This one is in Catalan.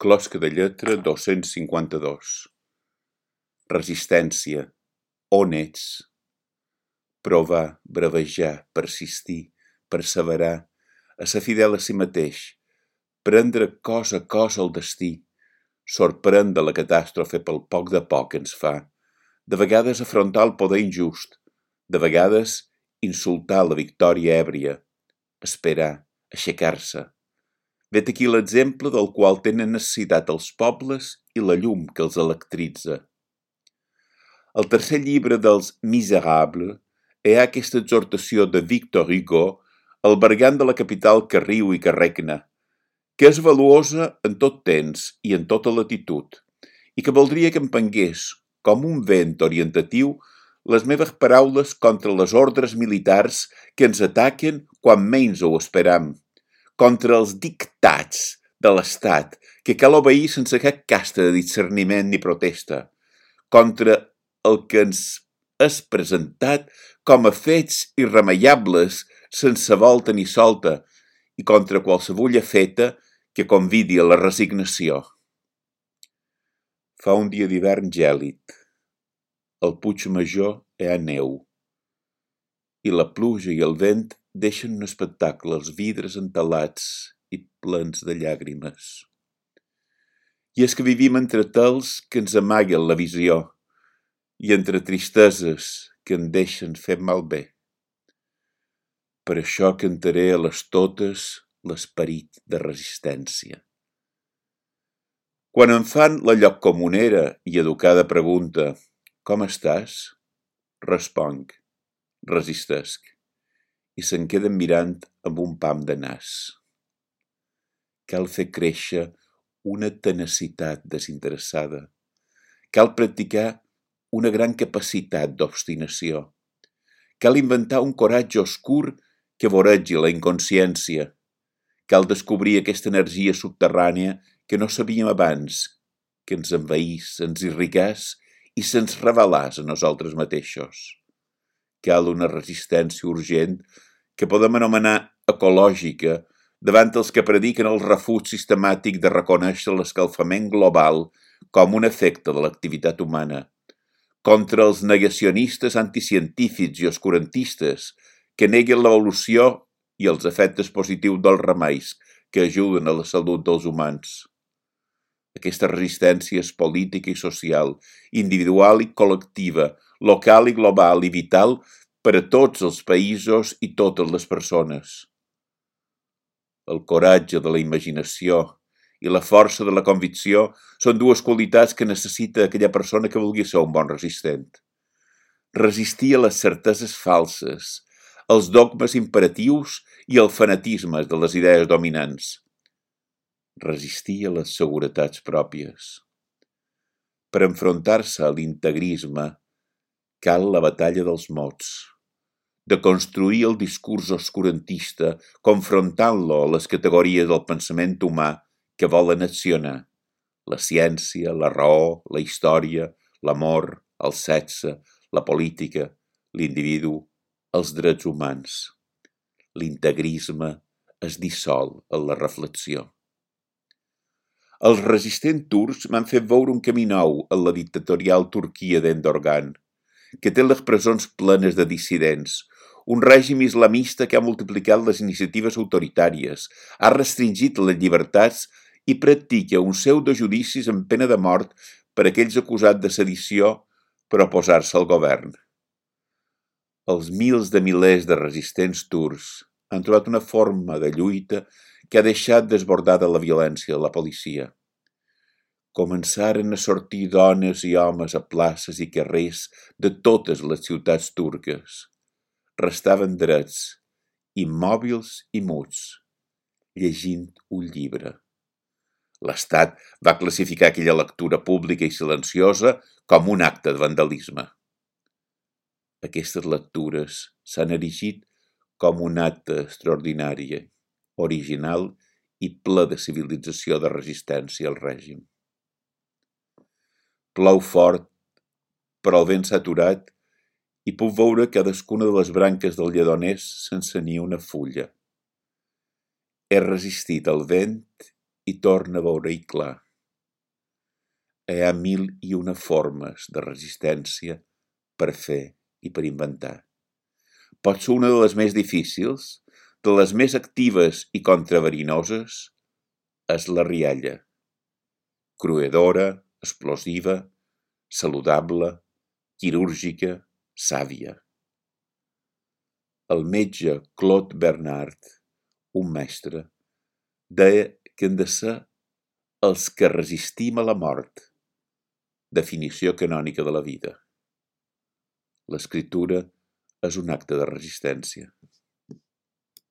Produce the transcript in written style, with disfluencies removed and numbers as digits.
Closca de lletra 252. Resistència. On ets? Provar, bravejar, persistir, perseverar, a ser fidel a si mateix, prendre cos a cos el destí, sorprendre la catàstrofe pel poc de poc que ens fa, de vegades afrontar el poder injust, de vegades insultar la victòria èbria, esperar, aixecar-se. Vet aquí l'exemple del qual tenen necessitat els pobles i la llum que els electritza. Al tercer llibre dels Misérables hi ha aquesta exhortació de Victor Hugo al bergant de la capital que riu i que regna, que és valuosa en tot temps i en tota latitud, i que voldria que empengués, com un vent orientatiu, les meves paraules contra les ordres militars que ens ataquen quan menys ho esperam, contra els dictats de l'Estat que cal obeir sense cap casta de discerniment ni protesta, contra el que ens és presentat com a fets irremeiables sense volta ni solta i contra qualsevulla feta que convidi a la resignació. Fa un dia d'hivern gèlid. Al Puig Major hi ha neu i la pluja i el vent deixen un espectacle als vidres entelats i plens de llàgrimes. I és que vivim entre tels que ens amaguen la visió i entre tristeses que en deixen fer malbé. Per això cantaré a les totes l'esperit de resistència. Quan em fan la lloccomunera i educada pregunta «Com estàs?», responc «Resistesc», i se'n queden mirant amb un pam de nas. Cal fer créixer una tenacitat desinteressada. Cal practicar una gran capacitat d'obstinació. Cal inventar un coratge oscur que voregi la inconsciència. Cal descobrir aquesta energia subterrània que no sabíem abans, que ens envaís, ens irrigàs i se'ns revelàs a nosaltres mateixos. Cal una resistència urgent que podem anomenar ecològica davant els que prediquen el refuig sistemàtic de reconèixer l'escalfament global com un efecte de l'activitat humana, contra els negacionistes anticientífics i oscurantistes que neguen l'evolució i els efectes positius dels remeis que ajuden a la salut dels humans. Aquesta resistència és política i social, individual i col·lectiva, local i global i vital per a tots els països i totes les persones. El coratge de la imaginació i la força de la convicció són dues qualitats que necessita aquella persona que vulgui ser un bon resistent. Resistir a les certeses falses, als dogmes imperatius i al fanatisme de les idees dominants. Resistir a les seguretats pròpies. Per enfrontar-se a l'integrisme cal la batalla dels mots, de construir el discurs oscurantista confrontant-lo a les categories del pensament humà que volen accionar: la ciència, la raó, la història, l'amor, el sexe, la política, l'individu, els drets humans. L'integrisme es dissol en la reflexió. Els resistents turcs m'han fet veure un camí nou en la dictatorial Turquia d'Erdogan, que té les presons plenes de dissidents, un règim islamista que ha multiplicat les iniciatives autoritàries, ha restringit les llibertats i practica un pseudojudicis amb pena de mort per aquells acusats de sedició per oposar-se al govern. Els mils de milers de resistents turcs han trobat una forma de lluita que ha deixat desbordada la violència de la policia. Començaren a sortir dones i homes a places i carrers de totes les ciutats turques. Restaven drets, immòbils i muts, llegint un llibre. L'Estat va classificar aquella lectura pública i silenciosa com un acte de vandalisme. Aquestes lectures s'han erigit com un acte extraordinari, original i ple de civilització de resistència al règim. Plou fort, però el vent s'ha aturat i puc veure cadascuna de les branques del lledoners sense ni una fulla. He resistit al vent i torna a veure-hi clar. hi ha 1001 formes de resistència per fer i per inventar. Pot ser una de les més difícils, de les més actives i contraverinoses, és la rialla. Cruedora, explosiva, saludable, quirúrgica, sàvia. El metge Claude Bernard, un mestre, deia que hem de ser els que resistim a la mort, definició canònica de la vida. L'escriptura és un acte de resistència.